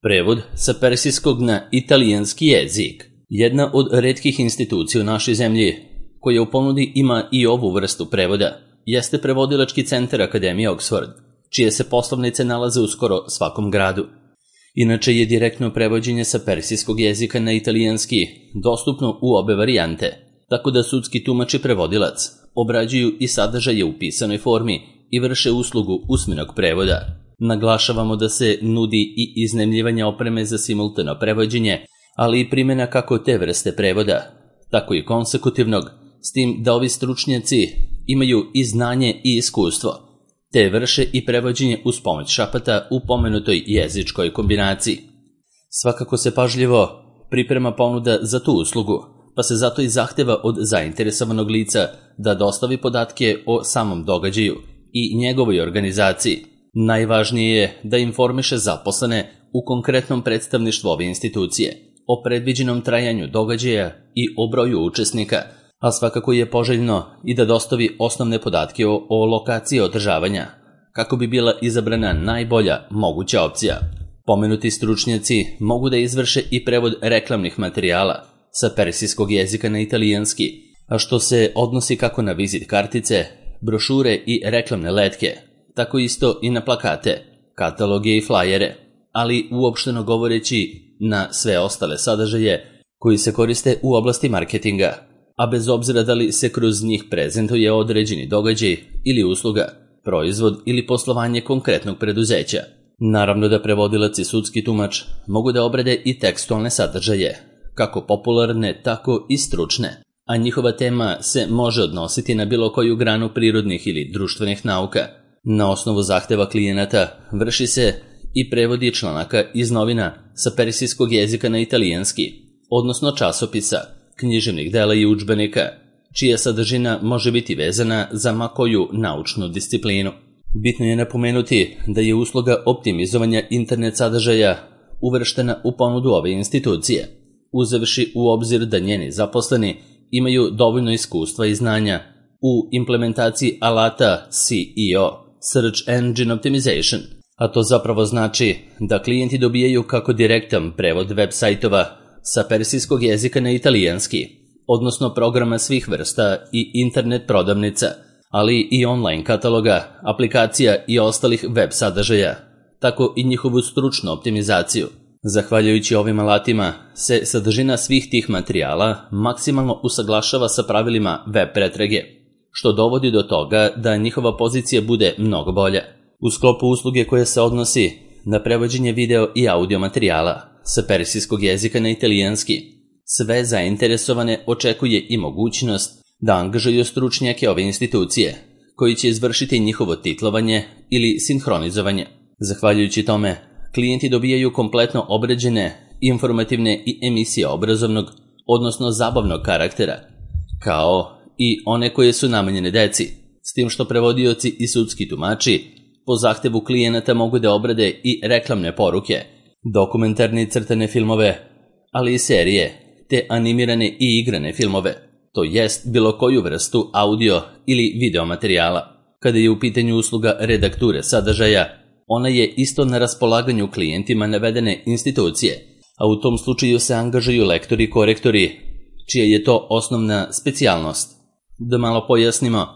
Prevod sa persijskog na italijanski jezik. Jedna od retkih institucija u našoj zemlji koja u ponudi ima i ovu vrstu prevoda jeste Prevodilački centar Akademije Oxford, čije se poslovnice nalaze u skoro svakom gradu. Inače je direktno prevođenje sa persijskog jezika na italijanski dostupno u obe varijante, tako da sudski tumač i prevodilac obrađuju i sadržaje u pisanoj formi i vrše uslugu usmenog prevoda. Naglašavamo da se nudi i iznajmljivanje opreme za simultano prevođenje, ali i primjena kako te vrste prevoda, tako i konsekutivnog, s tim da ovi stručnjaci imaju i znanje i iskustvo, te vrše i prevođenje uz pomoć šapata u pomenutoj jezičkoj kombinaciji. Svakako se pažljivo priprema ponuda za tu uslugu, pa se zato i zahteva od zainteresovanog lica da dostavi podatke o samom događaju i njegovoj organizaciji. Najvažnije je da informiše zaposlene u konkretnom predstavništvu ove institucije o predviđenom trajanju događaja i o broju učesnika, a svakako je poželjno i da dostavi osnovne podatke o lokaciji održavanja, kako bi bila izabrana najbolja moguća opcija. Pomenuti stručnjaci mogu da izvrše i prevod reklamnih materijala sa persijskog jezika na italijanski, a što se odnosi kako na vizit kartice, brošure i reklamne letke, tako isto i na plakate, kataloge i flajere, ali uopšteno govoreći na sve ostale sadržaje koji se koriste u oblasti marketinga, a bez obzira da li se kroz njih prezentuje određeni događaj ili usluga, proizvod ili poslovanje konkretnog preduzeća. Naravno da prevodilac i sudski tumač mogu da obrade i tekstualne sadržaje, kako popularne, tako i stručne, a njihova tema se može odnositi na bilo koju granu prirodnih ili društvenih nauka. Na osnovu zahteva klijenata vrši se i prevodi članaka iz novina sa persijskog jezika na italijanski, odnosno časopisa, književnih dela i udžbenika, čija sadržina može biti vezana za ma koju naučnu disciplinu. Bitno je napomenuti da je usluga optimizovanja internet sadržaja uvrštena u ponudu ove institucije, uzevši u obzir da njeni zaposleni imaju dovoljno iskustva i znanja u implementaciji alata SEO, Search Engine Optimization, a to zapravo znači da klijenti dobijaju kako direktan prevod web sajtova sa persijskog jezika na italijanski, odnosno programa svih vrsta i internet prodavnica, ali i online kataloga, aplikacija i ostalih web sadržaja, tako i njihovu stručnu optimizaciju. Zahvaljujući ovim alatima se sadržina svih tih materijala maksimalno usaglašava sa pravilima web pretrage, što dovodi do toga da njihova pozicija bude mnogo bolja. U sklopu usluge koja se odnosi na prevođenje video i audio materijala sa persijskog jezika na italijanski, sve zainteresovane očekuje i mogućnost da angažuju stručnjake ove institucije, koji će izvršiti njihovo titlovanje ili sinhronizovanje. Zahvaljujući tome, klijenti dobijaju kompletno obrađene, informativne i emisije obrazovnog, odnosno zabavnog karaktera, kao i one koje su namenjene deci, s tim što prevodioci i sudski tumači po zahtevu klijenata mogu da obrade i reklamne poruke, dokumentarne i crtane filmove, ali i serije, te animirane i igrane filmove, to jest bilo koju vrstu audio ili video materijala. Kada je u pitanju usluga redakture sadržaja, ona je isto na raspolaganju klijentima navedene institucije, a u tom slučaju se angažuju lektori i korektori, čija je to osnovna specijalnost. Da malo pojasnimo,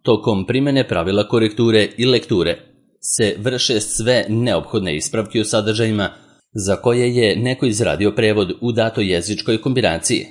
tokom primjene pravila korekture i lekture se vrše sve neophodne ispravke u sadržajima za koje je neko izradio prevod u datoj jezičkoj kombinaciji,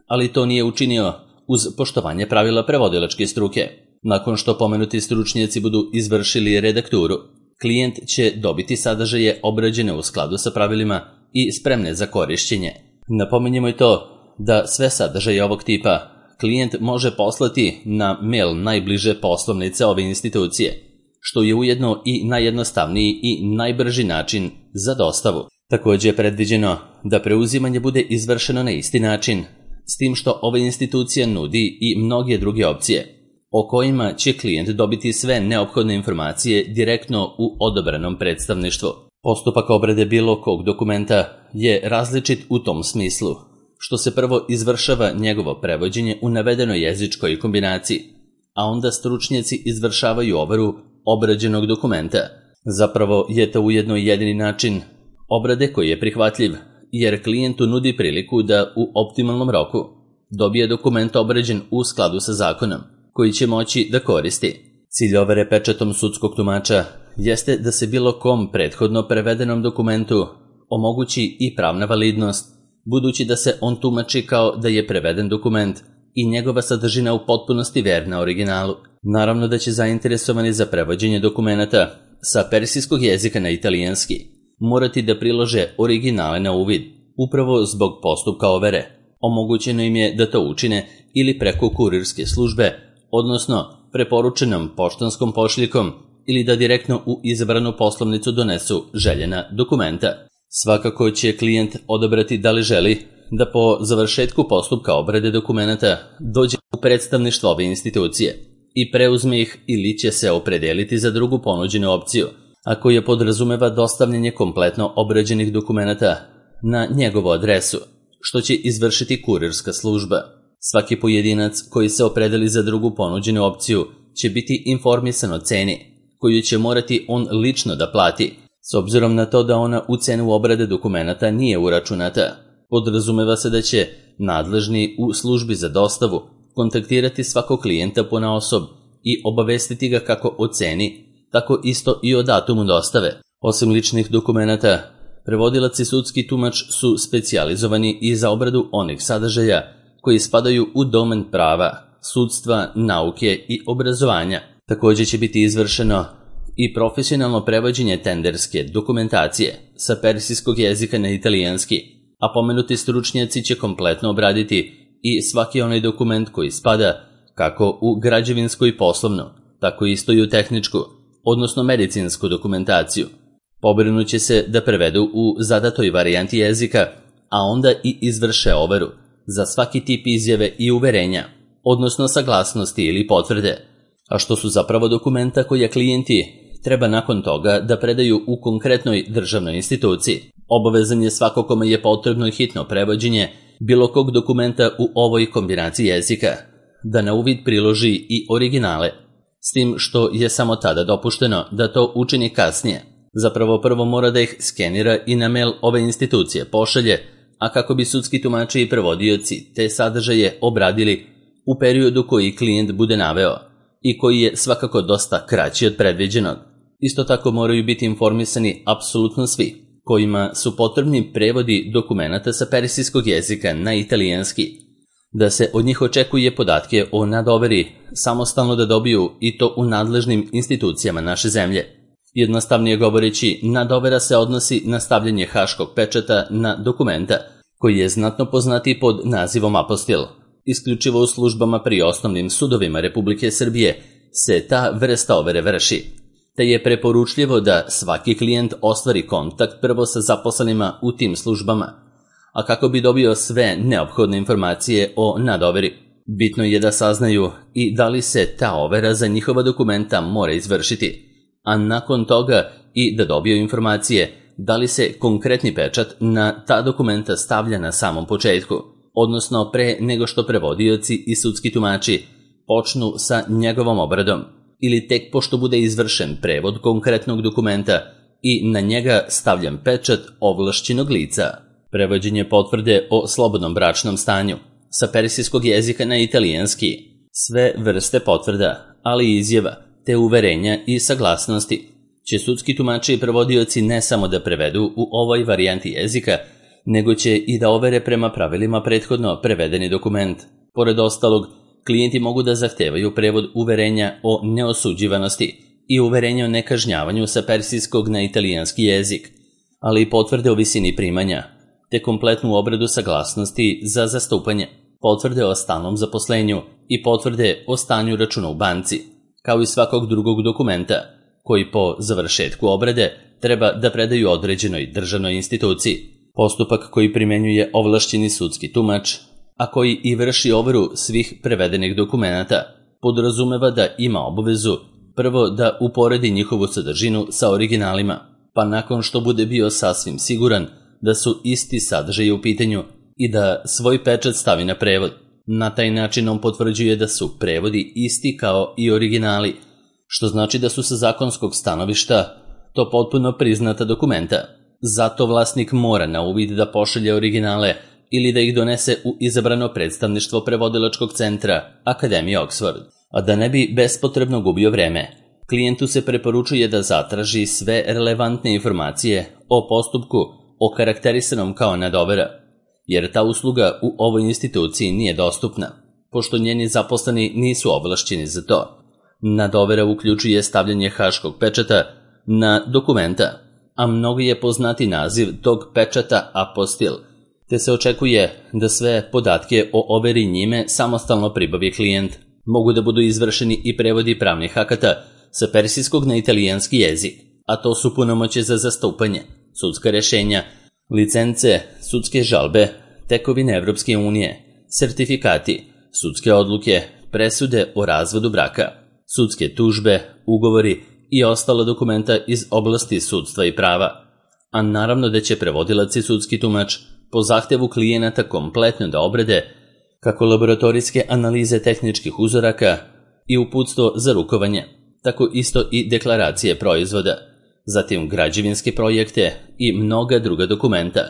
ali to nije učinio uz poštovanje pravila prevodilačke struke. Nakon što pomenuti stručnjaci budu izvršili redakturu, klijent će dobiti sadržaje obrađene u skladu sa pravilima i spremne za korišćenje. Napominjemo i to da sve sadržaje ovog tipa klijent može poslati na mail najbliže poslovnice ove institucije, što je ujedno i najjednostavniji i najbrži način za dostavu. Također je predviđeno da preuzimanje bude izvršeno na isti način, s tim što ova institucija nudi i mnoge druge opcije, o kojima će klijent dobiti sve neophodne informacije direktno u odabranom predstavništvu. Postupak obrade bilo kog dokumenta je različit u tom smislu, što se prvo izvršava njegovo prevođenje u navedenoj jezičkoj kombinaciji, a onda stručnjaci izvršavaju overu obrađenog dokumenta. Zapravo je to ujedno jedini način obrade koji je prihvatljiv, jer klijentu nudi priliku da u optimalnom roku dobije dokument obrađen u skladu sa zakonom, koji će moći da koristi. Cilj overe pečatom sudskog tumača jeste da se bilo kom prethodno prevedenom dokumentu omogući i pravna validnost, budući da se on tumači kao da je preveden dokument i njegova sadržina u potpunosti verna originalu. Naravno da će zainteresovani za prevođenje dokumenata sa persijskog jezika na italijanski morati da prilože originale na uvid, upravo zbog postupka overe. Omogućeno im je da to učine ili preko kurirske službe, odnosno preporučenom poštanskom pošiljkom, ili da direktno u izabranu poslovnicu donesu željena dokumenta. Svakako će klijent odabrati da li želi da po završetku postupka obrade dokumenata dođe u predstavništvo ove institucije i preuzme ih, ili će se opredeliti za drugu ponuđenu opciju, a koja podrazumeva dostavljanje kompletno obrađenih dokumenata na njegovu adresu, što će izvršiti kurirska služba. Svaki pojedinac koji se opredeli za drugu ponuđenu opciju će biti informisan o ceni, koju će morati on lično da plati, s obzirom na to da ona u cenu obrade dokumenata nije uračunata. Podrazumeva se da će nadležni u službi za dostavu kontaktirati svakog klijenta ponaosob i obavestiti ga kako o ceni, tako isto i o datumu dostave. Osim ličnih dokumenata, prevodilac i sudski tumač su specijalizovani i za obradu onih sadržaja koji spadaju u domen prava, sudstva, nauke i obrazovanja. Također će biti izvršeno i profesionalno prevođenje tenderske dokumentacije sa persijskog jezika na italijanski, a pomenuti stručnjaci će kompletno obraditi i svaki onaj dokument koji spada kako u građevinsku i poslovnu, tako isto i u tehničku, odnosno medicinsku dokumentaciju. Pobrinuće se da prevedu u zadatoj varijanti jezika, a onda i izvrše overu za svaki tip izjave i uverenja, odnosno saglasnosti ili potvrde, a što su zapravo dokumenta koje klijenti treba nakon toga da predaju u konkretnoj državnoj instituciji. Obavezan je svako kome je potrebno i hitno prevođenje bilo kog dokumenta u ovoj kombinaciji jezika da na uvid priloži i originale, s tim što je samo tada dopušteno da to učini kasnije. Zapravo prvo mora da ih skenira i na mail ove institucije pošalje, a kako bi sudski tumači i prevodioci te sadržaje obradili u periodu koji klijent bude naveo i koji je svakako dosta kraći od predviđenog. Isto tako moraju biti informisani apsolutno svi kojima su potrebni prevodi dokumenata sa persijskog jezika na italijanski, da se od njih očekuje podatke o nadoveri samostalno da dobiju i to u nadležnim institucijama naše zemlje. Jednostavnije govoreći, nadovera se odnosi na stavljanje haškog pečata na dokumenta, koji je znatno poznati pod nazivom apostil. Isključivo u službama pri osnovnim sudovima Republike Srbije se ta vrsta overe vrši, te je preporučljivo da svaki klijent ostvari kontakt prvo sa zaposlenima u tim službama, a kako bi dobio sve neophodne informacije o nadoveri. Bitno je da saznaju i da li se ta overa za njihova dokumenta mora izvršiti, a nakon toga i da dobiju informacije da li se konkretni pečat na ta dokumenta stavlja na samom početku, odnosno pre nego što prevodioci i sudski tumači počnu sa njegovom obradom, ili tek pošto bude izvršen prevod konkretnog dokumenta i na njega stavljan pečat ovlašćenog lica. Prevođenje potvrde o slobodnom bračnom stanju sa persijskog jezika na italijanski, sve vrste potvrda, ali i izjava, te uverenja i saglasnosti će sudski tumači i prevodioci ne samo da prevedu u ovoj varijanti jezika, nego će i da overe prema pravilima prethodno prevedeni dokument. Pored ostalog, klijenti mogu da zahtevaju prevod uverenja o neosuđivanosti i uverenja o nekažnjavanju sa persijskog na italijanski jezik, ali i potvrde o visini primanja, te kompletnu obradu saglasnosti za zastupanje, potvrde o stalnom zaposlenju i potvrde o stanju računa u banci, kao i svakog drugog dokumenta, koji po završetku obrade treba da predaju određenoj državnoj instituciji. Postupak koji primenjuje ovlašćeni sudski tumač, a koji i vrši overu svih prevedenih dokumenata, podrazumeva da ima obavezu prvo da uporedi njihovu sadržinu sa originalima, pa nakon što bude bio sasvim siguran da su isti sadržaji u pitanju i da svoj pečat stavi na prevod. Na taj način on potvrđuje da su prevodi isti kao i originali, što znači da su sa zakonskog stanovišta to potpuno priznata dokumenta. Zato vlasnik mora na uvid da pošalje originale ili da ih donese u izabrano predstavništvo prevodilačkog centra Akademije Oxford. A da ne bi bespotrebno gubio vreme, klijentu se preporučuje da zatraži sve relevantne informacije o postupku okarakterisanom kao nadovera, jer ta usluga u ovoj instituciji nije dostupna, pošto njeni zaposleni nisu ovlašćeni za to. Nadovera uključuje stavljanje haškog pečata na dokumenta, a mnogo je poznati naziv tog pečata apostil, te se očekuje da sve podatke o overi njime samostalno pribavi klijent. Mogu da budu izvršeni i prevodi pravnih akata sa persijskog na italijanski jezik, a to su punomoćje za zastupanje, sudska rešenja, licence, sudske žalbe, tekovine Evropske unije, sertifikati, sudske odluke, presude o razvodu braka, sudske tužbe, ugovori i ostala dokumenta iz oblasti sudstva i prava. A naravno da će prevodilac i sudski tumač po zahtevu klijenata kompletno da obrade kako laboratorijske analize tehničkih uzoraka i uputstvo za rukovanje, tako isto i deklaracije proizvoda, zatim građevinske projekte i mnoga druga dokumenta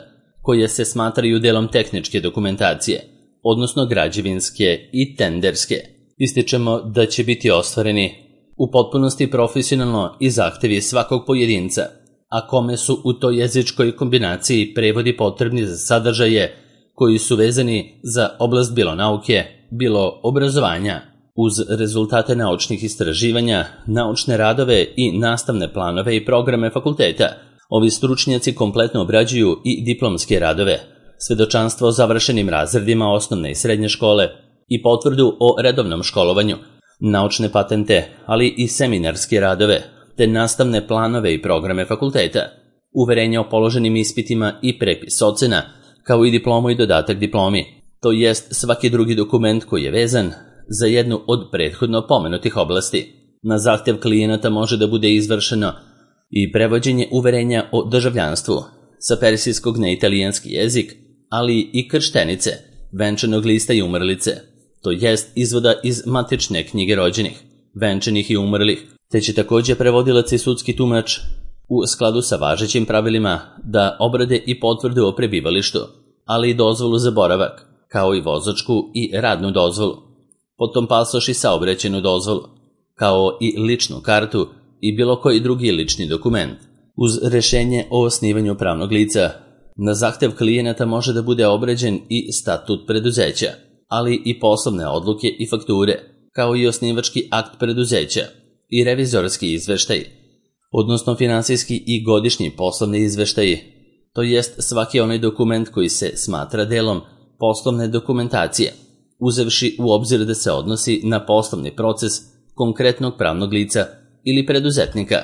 koje se smatraju delom tehničke dokumentacije, odnosno građevinske i tenderske. Ističemo da će biti ostvareni u potpunosti profesionalno i zahtevi svakog pojedinca, a kome su u toj jezičkoj kombinaciji prevodi potrebni za sadržaje koji su vezani za oblast bilo nauke, bilo obrazovanja, uz rezultate naučnih istraživanja, naučne radove i nastavne planove i programe fakulteta. Ovi stručnjaci kompletno obrađuju i diplomske radove, svedočanstvo o završenim razredima osnovne i srednje škole i potvrdu o redovnom školovanju, naučne patente, ali i seminarske radove, te nastavne planove i programe fakulteta, uverenja o položenim ispitima i prepis ocena, kao i diplomu i dodatak diplomi, to jest svaki drugi dokument koji je vezan za jednu od prethodno pomenutih oblasti. Na zahtev klijenata može da bude izvršeno i prevođenje uverenja o državljanstvu sa persijskog na italijanski jezik, ali i krštenice, venčanog lista i umrlice, to jest izvoda iz matične knjige rođenih, venčanih i umrlih, te će također prevodilac i sudski tumač u skladu sa važećim pravilima da obrade i potvrdu o prebivalištu, ali i dozvolu za boravak, kao i vozačku i radnu dozvolu, potom pasoš i saobraćajnu dozvolu, kao i ličnu kartu i bilo koji drugi lični dokument. Uz rešenje o osnivanju pravnog lica, na zahtev klijenata može da bude obrađen i statut preduzeća, ali i poslovne odluke i fakture, kao i osnivački akt preduzeća i revizorski izveštaj, odnosno finansijski i godišnji poslovni izveštaji, to jest svaki onaj dokument koji se smatra delom poslovne dokumentacije, uzevši u obzir da se odnosi na poslovni proces konkretnog pravnog lica ili preduzetnika.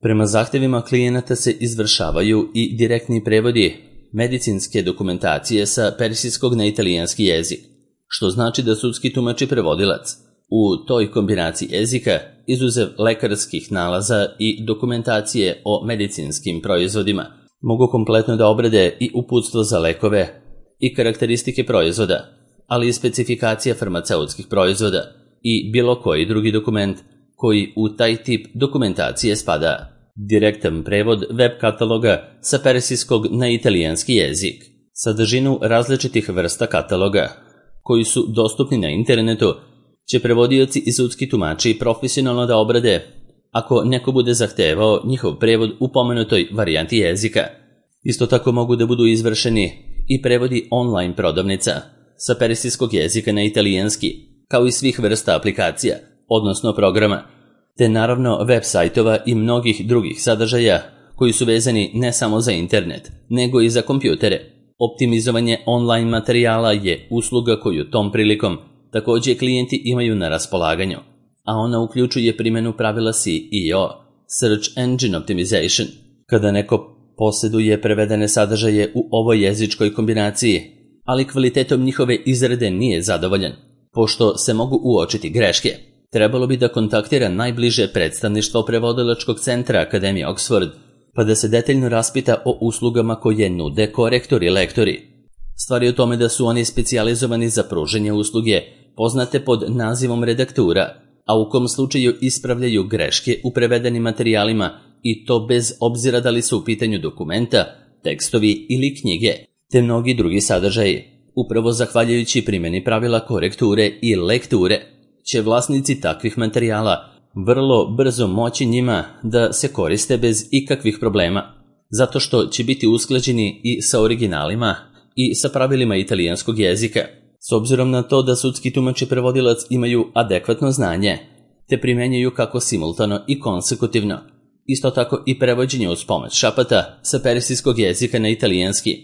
Prema zahtevima klijenata se izvršavaju i direktni prevodi medicinske dokumentacije sa persijskog na italijanski jezik, što znači da sudski tumač i prevodilac u toj kombinaciji jezika, izuzev lekarskih nalaza i dokumentacije o medicinskim proizvodima, mogu kompletno da obrade i uputstvo za lekove i karakteristike proizvoda, ali i specifikacija farmaceutskih proizvoda i bilo koji drugi dokument koji u taj tip dokumentacije spada. Direktan prevod web kataloga sa persijskog na italijanski jezik, sadržinu različitih vrsta kataloga koji su dostupni na internetu će prevodioci i sudski tumači profesionalno da obrade ako neko bude zahtevao njihov prevod u pomenutoj varijanti jezika. Isto tako mogu da budu izvršeni i prevodi online prodavnica sa persijskog jezika na italijanski, kao i svih vrsta aplikacija, odnosno programa, te naravno web sajtova i mnogih drugih sadržaja koji su vezani ne samo za internet, nego i za kompjutere. Optimizovanje online materijala je usluga koju tom prilikom također klijenti imaju na raspolaganju, a ona uključuje primjenu pravila SEO, Search Engine Optimization. Kada neko posjeduje prevedene sadržaje u ovoj jezičkoj kombinaciji, ali kvalitetom njihove izrade nije zadovoljan, pošto se mogu uočiti greške, trebalo bi da kontaktira najbliže predstavništvo prevodilačkog centra Akademije Oxford, pa da se detaljno raspita o uslugama koje nude korektori i lektori. Stvar je u tome da su oni specijalizovani za pružanje usluge poznate pod nazivom redaktura, a u kom slučaju ispravljaju greške u prevedenim materijalima i to bez obzira da li su u pitanju dokumenta tekstovi ili knjige, te mnogi drugi sadržaji. Upravo zahvaljujući primjeni pravila korekture i lekture, će vlasnici takvih materijala vrlo brzo moći njima da se koriste bez ikakvih problema, zato što će biti usklađeni i sa originalima i sa pravilima italijanskog jezika. S obzirom na to da sudski tumač i prevodilac imaju adekvatno znanje, te primjenjuju kako simultano i konsekutivno, isto tako i prevođenje uz pomoć šapata sa persijskog jezika na italijanski,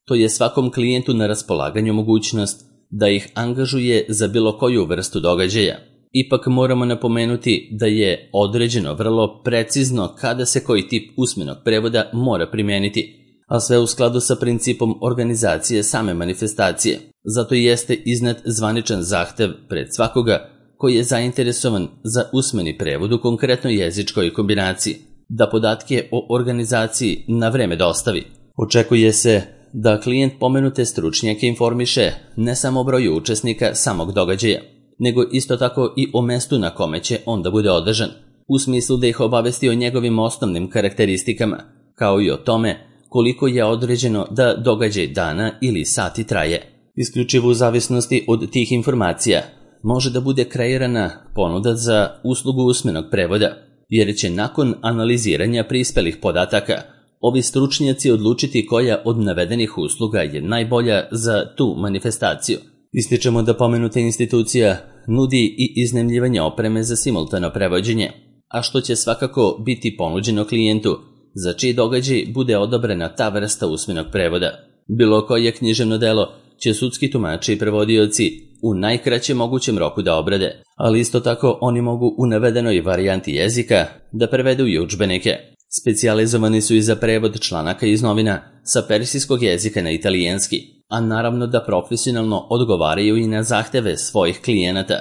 to je svakom klijentu na raspolaganju mogućnost da ih angažuje za bilo koju vrstu događaja. Ipak moramo napomenuti da je određeno vrlo precizno kada se koji tip usmenog prevoda mora primijeniti, a sve u skladu sa principom organizacije same manifestacije. Zato jeste iznet zvaničan zahtev pred svakoga koji je zainteresovan za usmeni prevod u konkretnoj jezičkoj kombinaciji, da podatke o organizaciji na vreme dostavi. Očekuje se da klijent pomenute stručnjake informiše ne samo o broju učesnika samog događaja, nego isto tako i o mestu na kome će onda bude održan, u smislu da ih obavesti o njegovim osnovnim karakteristikama, kao i o tome koliko je određeno da događaj dana ili sati traje. Isključivo u zavisnosti od tih informacija može da bude kreirana ponuda za uslugu usmenog prevoda, jer će nakon analiziranja prispelih podataka ovi stručnjaci odlučiti koja od navedenih usluga je najbolja za tu manifestaciju. Ističemo da pomenuta institucija nudi i iznajmljivanje opreme za simultano prevođenje, a što će svakako biti ponuđeno klijentu za čiji događaj bude odobrena ta vrsta usmenog prevoda. Bilo koje književno delo će sudski tumači i prevodioci u najkraćem mogućem roku da obrade, ali isto tako oni mogu u navedenoj varijanti jezika da prevedu i udžbenike. Specijalizovani su i za prevod članaka iz novina sa persijskog jezika na italijanski, a naravno da profesionalno odgovaraju i na zahteve svojih klijenata,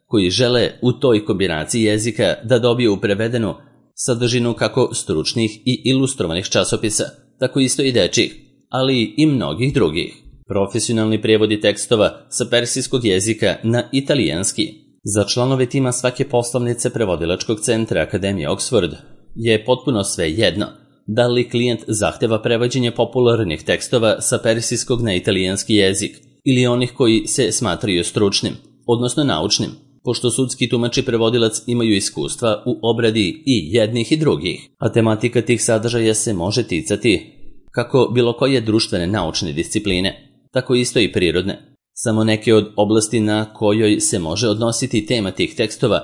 koji žele u toj kombinaciji jezika da dobiju prevedenu sadržinu kako stručnih i ilustrovanih časopisa, tako isto i dečjih, ali i mnogih drugih. Profesionalni prevodi tekstova sa persijskog jezika na italijanski. Za članove tima svake poslovnice prevodilačkog centra Akademije Oxford je potpuno sve jedno da li klijent zahteva prevođenje popularnih tekstova sa persijskog na italijanski jezik ili onih koji se smatraju stručnim, odnosno naučnim, pošto sudski tumač i prevodilac imaju iskustva u obradi i jednih i drugih, a tematika tih sadržaja se može ticati kako bilo koje društvene naučne discipline, tako isto i prirodne. Samo neke od oblasti na kojoj se može odnositi tema tih tekstova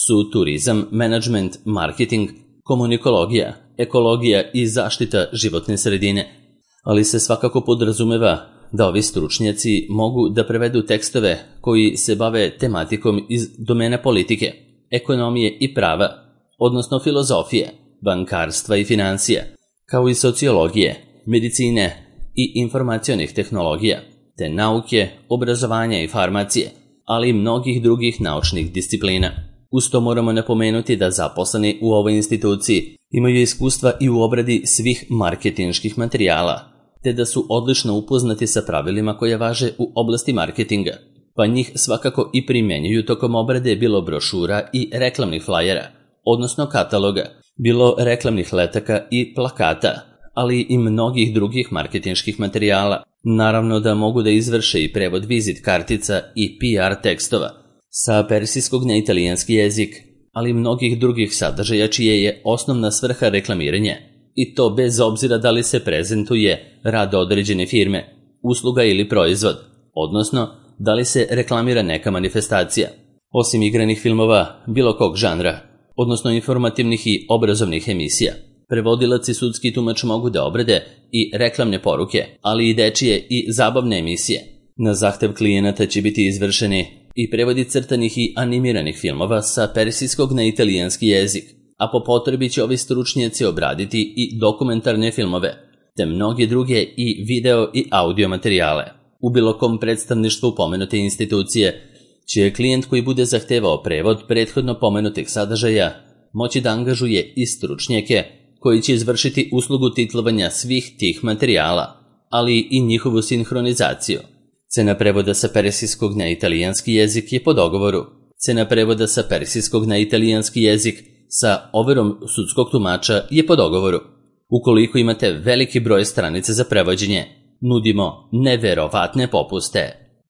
su turizam, menadžment, marketing, komunikologija, ekologija i zaštita životne sredine, ali se svakako podrazumeva da ovi stručnjaci mogu da prevedu tekstove koji se bave tematikom iz domene politike, ekonomije i prava, odnosno filozofije, bankarstva i financija, kao i sociologije, medicine i informacionih tehnologija, te nauke, obrazovanja i farmacije, ali i mnogih drugih naučnih disciplina. Uz to moramo napomenuti da zaposleni u ovoj instituciji imaju iskustva i u obradi svih marketinških materijala, te da su odlično upoznati sa pravilima koje važe u oblasti marketinga, pa njih svakako i primjenjuju tokom obrade bilo brošura i reklamnih flajera, odnosno kataloga, bilo reklamnih letaka i plakata, ali i mnogih drugih marketinških materijala. Naravno da mogu da izvrše i prevod vizit kartica i PR tekstova sa persijskog na italijanski jezik, ali i mnogih drugih sadržaja čije je osnovna svrha reklamiranje, i to bez obzira da li se prezentuje rad određene firme, usluga ili proizvod, odnosno da li se reklamira neka manifestacija. Osim igranih filmova bilo kog žanra, odnosno informativnih i obrazovnih emisija, prevodilac i sudski tumač mogu da obrade i reklamne poruke, ali i dečije i zabavne emisije. Na zahtev klijenata će biti izvršeni i prevodi crtanih i animiranih filmova sa persijskog na italijanski jezik, a po potrebi će ovi stručnjaci obraditi i dokumentarne filmove, te mnoge druge i video i audio materijale. U bilo kom predstavništvu pomenute institucije će klijent koji bude zahtevao prevod prethodno pomenutih sadržaja moći da angažuje i stručnjake koji će izvršiti uslugu titlovanja svih tih materijala, ali i njihovu sinhronizaciju. Cena prevoda sa persijskog na italijanski jezik je po dogovoru. Cena prevoda sa persijskog na italijanski jezik sa overom sudskog tumača je po dogovoru. Ukoliko imate veliki broj stranica za prevođenje, nudimo neverovatne popuste.